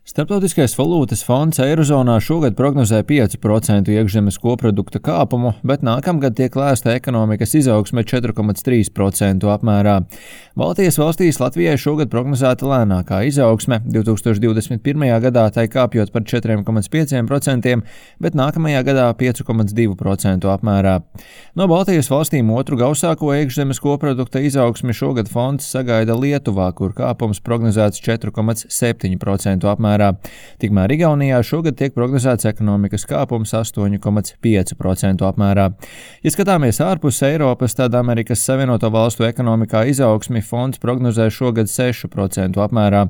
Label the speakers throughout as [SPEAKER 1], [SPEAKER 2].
[SPEAKER 1] Starptautiskais valūtas fonds Eirozonā šogad prognozē 5% iekšzemes koprodukta kāpumu, bet nākamgad tiek lēsta ekonomikas izaugsme 4,3% apmērā. Baltijas valstīs Latvijai šogad prognozēta lēnākā izaugsme, 2021. gadā tai kāpjot par 4,5%, bet nākamajā gadā 5,2% apmērā. No Baltijas valstīm otru gausāko iekšzemes koprodukta izaugsmi šogad fonds sagaida Lietuvā, kur kāpums prognozēts 4,7% apmērā. Tikmēr Igaunijā šogad tiek prognozēts ekonomikas kāpums 8,5% apmērā. Ja skatāmies ārpus Eiropas, tad Amerikas Savienoto Valstu ekonomikā izaugsmi fonds prognozē šogad 6% apmērā,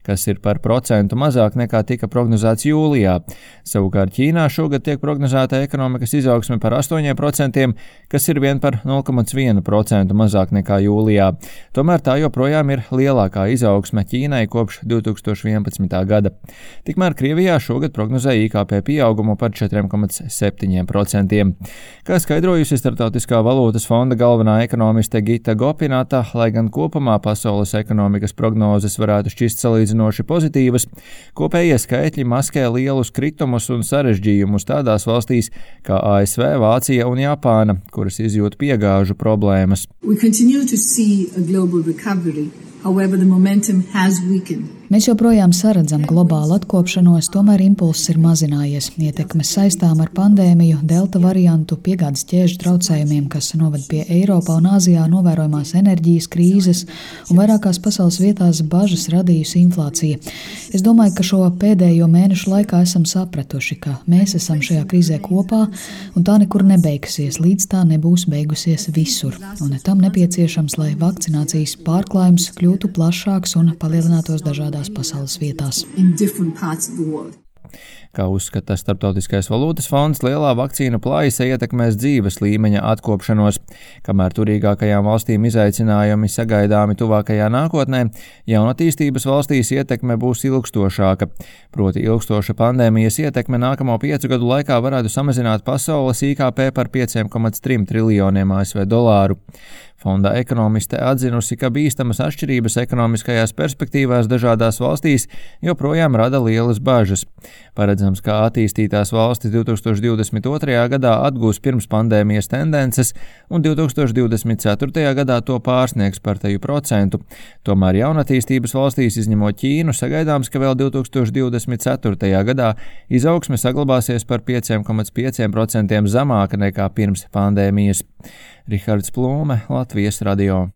[SPEAKER 1] kas ir par procentu mazāk nekā tika prognozēts jūlijā. Savukārt Ķīnā šogad tiek prognozēta ekonomikas izaugsme par 8%, kas ir vien par 0,1% mazāk nekā jūlijā. Tomēr tā joprojām ir lielākā izaugsme Ķīnai kopš 2011. gada. Tikmēr Krievijā šogad prognozē IKP pieaugumu par 4,7%. Kā skaidrojusi Starptautiskā valūtas fonda galvenā ekonomiste Gita Gopinata, lai gan kopumā pasaules ekonomikas prognozes varētu šķist salīdzinoši pozitīvas, kopējie skaitļi maskē lielus kritumus un sarežģījumus tādās valstīs kā ASV, Vācija un Japāna, kuras izjūt piegāžu problēmas.
[SPEAKER 2] Mēs joprojām saredzam globālu atkopšanos, tomēr impulss ir mazinājies. Ietekmes saistām ar pandēmiju, delta variantu, piegādes ķēžu traucējumiem, kas noved pie Eiropā un Āzijā novērojamās enerģijas krīzes un vairākās pasaules vietās bažas radījusi inflācija. Es domāju, ka šo pēdējo mēnešu laikā esam sapratuši, ka mēs esam šajā krīzē kopā un tā nekur nebeigsies, līdz tā nebūs beigusies visur. Un tam nepieciešams, lai vakcinācijas pārklājums kļūtu plašāks un palielinātos dažādās pasaules vietās.
[SPEAKER 1] Kā uzskata Starptautiskais valūtas fonds, lielā vakcīnu plājasa ietekmēs dzīves līmeņa atkopšanos. Kamēr turīgākajām valstīm izaicinājumi sagaidāmi tuvākajā nākotnē, jaunatīstības valstīs ietekme būs ilgstošāka. Proti ilgstoša pandēmijas ietekme nākamo 5 gadu laikā varētu samazināt pasaules IKP par 5,3 triljoniem ASV dolāru. Fonda ekonomiste atzinusi, ka bīstamas atšķirības ekonomiskajās perspektīvās dažādās valstīs joprojām rada lielas bažas. Paredzams, ka attīstītās valstis 2022. gadā atgūs pirms pandēmijas tendences un 2024. gadā to pārsniegs par teju procentu. Tomēr jaunatīstības valstīs, izņemot Ķīnu, sagaidāms, ka vēl 2024. gadā izaugsme saglabāsies par 5,5% zemāka nekā pirms pandēmijas. Rihards Plūme, Latvijas radio.